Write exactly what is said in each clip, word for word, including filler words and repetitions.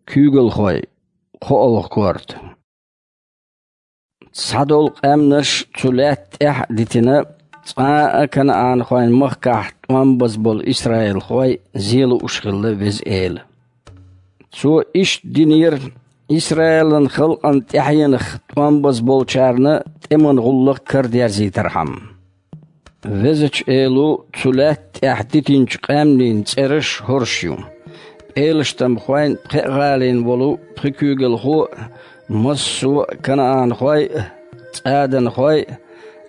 Куьйгалхой, кхоалгӀа корта. Цхьадолу къаьмнаш цу лаьтта тӀехь а дитина, цкъа а КанаӀанхойн махкахь тӀом база болу исраилхой зен лууш хилла Веза Эла. Цо иштта динера Исраилан халкъан тӀаьхьенах тӀом база болчарна тӀеман гӀуллакх карадерзийтархьама. Везачу Эло цу лаьтта тӀехь дитинчу къаьмнийн цӀераш хӀорш ю: пӀелаштамхойн, пхеа гӀалин волу пхи куьйгалхо а, массо а канаанхой а, цӀаданхой а,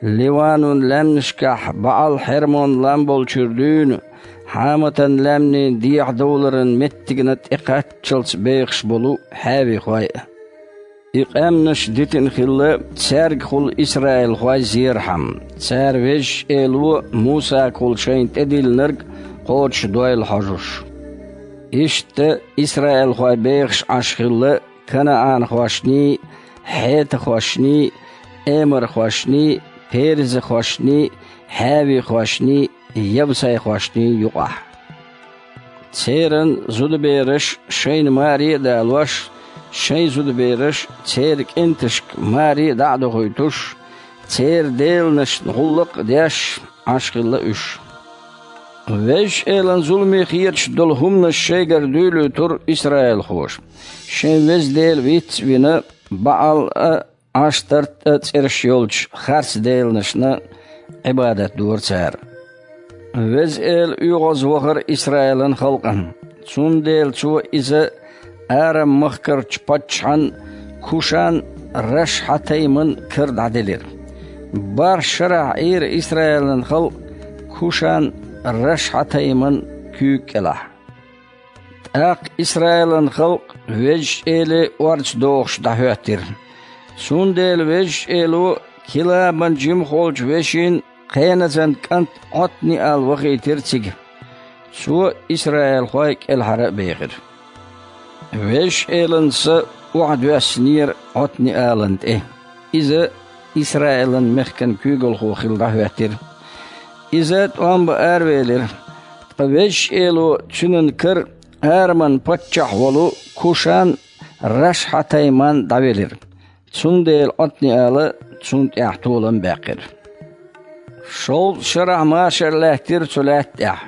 Ливанун лаьмнашкахь БаӀал-Хьермон лам болчуьра дуьйна, Хьаматан лаьмнийн дехьадовларан меттигна тӀекхаччалц бехаш болу хьаьвихой а. И къаьмнаш дитина хилла, цаьргахула исраилхой зерхьама, цара Везачу Эло Мусагахула шайна тӀедиллинарг кхочушдойла хьожуш. Иштта исраилхой бехаш Ӏаш хилла канаанхошний, хьетахошний, эмархошний, перезахошний, хьаьвихошний, явсайхошний юкъахь. Церан зудабераш шайна маре а далош, шайн зудабераш церан кӀенташка маре а дӀа а дохуьйтуш, церан деланашна гӀуллакх а деш, Ӏаш хилла уьш. Везачу Элан зуламе хеташ долу хӀуманаш шайгара дуьйлуьйтура исраилхоша. Шайн Веза Дела виц а вина, БаӀал а, Ӏаштарт а цӀераш йолчу харц деланашна Ӏибадат дора цара. Веза Эла оьгӀазвахара Исраилан халкъана, цундела Цо иза Арам-махкарчу паччахьан Кушан-Рашхьатайман кара дӀаделира. БархӀ шарахь Ӏийра Исраилан халкъ Кушан-Рашхьатайман куьйга кӀелахь. ТӀаккха Исраилан халкъ Везачу Эле орца дохуш дӀахӀоьттира. Цундела Везачу Эло Килабан жимахволчу вешин Кхеназан кӀант Ӏотниал вахийтира цига. Цо исраилхой кӀелхьара а бехира. Везачу Элан Са охьадоьссинера Ӏотниалан тӀе. Иза Исраилан мехкан куьйгалхо хилла дӀахӀоьттира. Иза тӀом бан аравелира, ткъа Везачу Эло цуьнан кара Араман паччахь волу Кушан-Рашхьатайман дӀавелира. Цундела Ӏотниала цунна тӀехь толам баьккхира. ШовзткъаӀ шарахь машар лаьттира цу лаьтта тӀехь.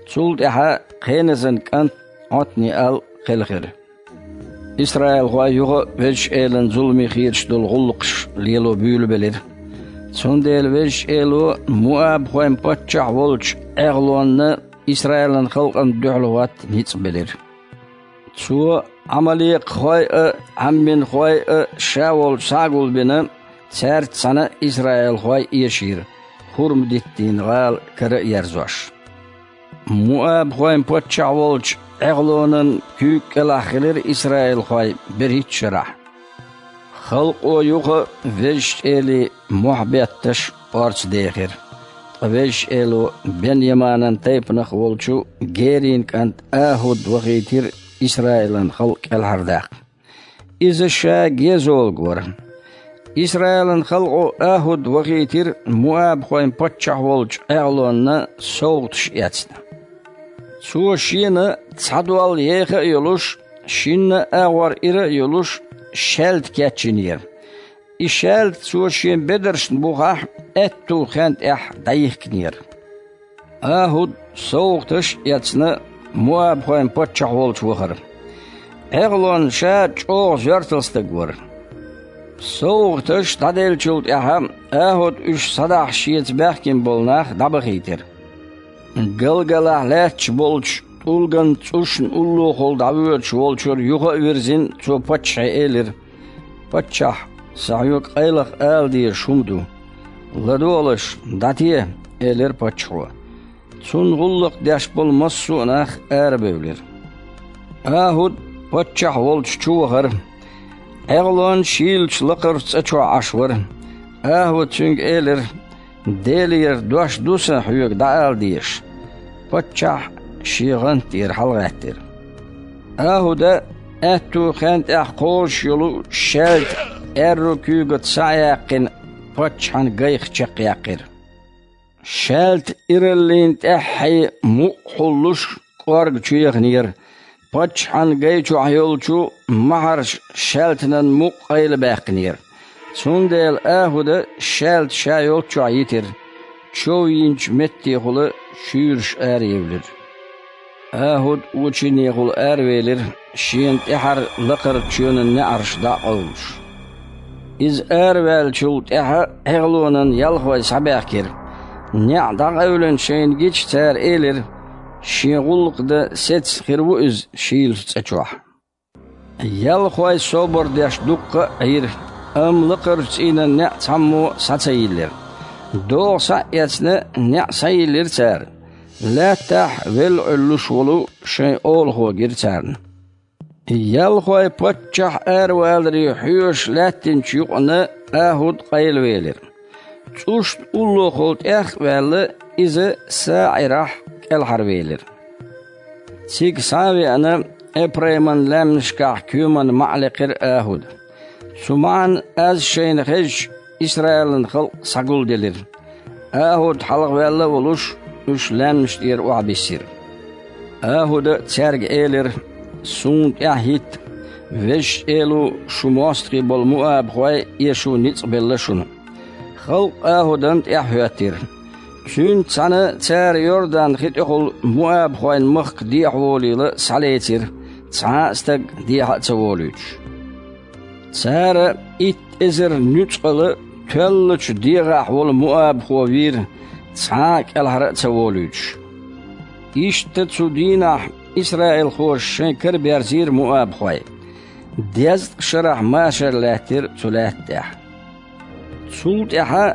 Цул тӀаьхьа Кхеназан кӀант Ӏотниал кхелхира. Исраилхой юха а Везачу Элан зуламе хеташ долу гӀуллакхаш лело буьйлабелира. Цундела Везачу Эло муабхойн паччахь волчу ӀегӀлонна Исраилан халкъана дуьхьал хӀотта ницкъ белира. Цо Ӏамалекхой а, Ӏамминхой а ша волчу схьа а гулбина, цаьрца цхьаьна исраилхой эшийра, хурма-диттийн гӀала кара а ерзош. Муабхойн паччахь волчу ӀегӀлонан куьйга кӀелахь хилира исраилхой берхӀитта шарахь. Халкъо юха а Везачу Эле мохь бетташ орца дехира. Ткъа Везачу Эло Бен-Яманан тайпанах волчу Герин кӀант АхӀуд вахийтира Исраилан халкъ кӀелхьардаккха. Иза ша гезолг вара. Исраилан халкъо АхӀуд вахийтира муабхойн паччахь волчу ӀегӀлонна совгӀаташ эцна. Цо шена цхьа дол еха а йолуш, шинна а агӀор ира а йолуш, шаьлта кечйинера. И шаьлта цо шен бедаршна бухахь аьтту хен тӀехь дӀайихкинера. АхӀуд совгӀаташ а эцна, муабхойн паччахь волчу вахара. Ӏегълон ша чӀогӀа жоьртал стаг вара. СовгӀаташ дӀаделлачул тӀаьхьа АхӀуд уьш схьадахьаш шеца баьхкина болу нах дӀабахийтира. Галгалахь лаьтташ болчу тӀулган цӀушна уллохула дӀавоьдуш волчуьра юха а вирзина, цо паччахье элира: «Паччахь, сан хьоьга къайлаха ала дезаш хӀума ду». «ЛадогӀалаш, дӀате», — элира паччахьо. Цунна гӀуллакх деш болу массо а нах арабевлира. АхӀуд паччахь волчу чу вахара. Ӏегълон шийлачу лакхарчу цӀа чохь Ӏаш вара. АхӀуда цуьнга элира: «Делера дош ду сан хьоьга дӀаала дезаш». Паччахь шен гӀант тӀера хьалагӀаьттира. АхӀуда аьтту хен тӀехь кхозуш йолу шаьлта аьрру куьйгаца схьа а яьккхина, паччахьан гайх чекхъяьккхира. Шаьлта ираллин тӀаьххье мукъа хьуллуш кӀорга чу яханера, Паччахьан гай чохь йолчу махьарша шаьлтанан мукъа къайлабаьккхинера. Цундела АхӀуда шаьлта ша йолччохь йитира, чов йинчу меттехула шуьйраш араевлира. АхӀуд очинехула аравелира, шена тӀаьхьара лакхарчу чоьнан неӀарш дӀа а къовлуш. Иза араваьллачул тӀаьхьа Ӏехалонан ялхой схьабаьхкира. НеӀ дӀакъевлина шайна гича, цара элира: «Шен гӀуллакх дан сецна хир ву иза Шийлачу цӀа чохь». Ялхой собар деш дуккха а Ӏийра, амма лакхарчу цӀийнан неӀ цхьаммо а схьа ца йиллира. ДогӀа схьа а эцна, неӀ схьайиллира цара. Лаьттахь велла Ӏуьллуш волу шайн олахо гира царна. Ялхой паччахь араваларе хьоьжуш лаьттинчу юкъана АхӀуд къайлавелира. ЦӀушна уллохула тӀех а ваьлла, иза СаӀирахь кӀелхьарвелира. Цига схьа а веана, Эпрайман лаьмнашкахь коьман маӀа лекхира АхӀуда. Цу маӀан, аз шайна хезча, Исраилан халкъ схьагулделира. АхӀуд хьалхаваьлла а волуш, уьш лаьмнаш тӀера охьабиссира. АхӀуда цаьрга элира: «Суна тӀаьхьахӀитта, Везачу Эло шу мостагӀий болу муабхой эшо ницкъ белла шуна». Халкъ АхӀудан тӀаьхьахӀоьттира. Цуьнца цхьаьна цара Йордан хи тӀехула муабхойн махка дехьаволийла схьалецира, цхьа а стаг дехьа а ца волуьйтуш. Цара итт эзар нуьцкъала тоьллачу дегӀахь волу муабхо вийра, цхьа а кӀелхьара а ца волуьйтуш. Иштта цу дийнахь исраилхоша шайн кара берзийра муабхой. Дезткъа шарахь машар лаьттира цу лаьтта тӀехь. Цул тӀаьхьа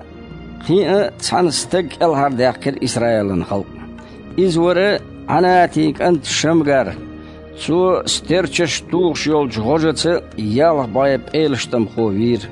кхин а цхьана стаг кӀелхьардаьккхира Исраилан халкъ. Иза вара Ӏанатин кӀант Шамгар. Цо стерчаш тухуш йолчу гӀожаца ялх бӀе пӀелаштамхо вийра.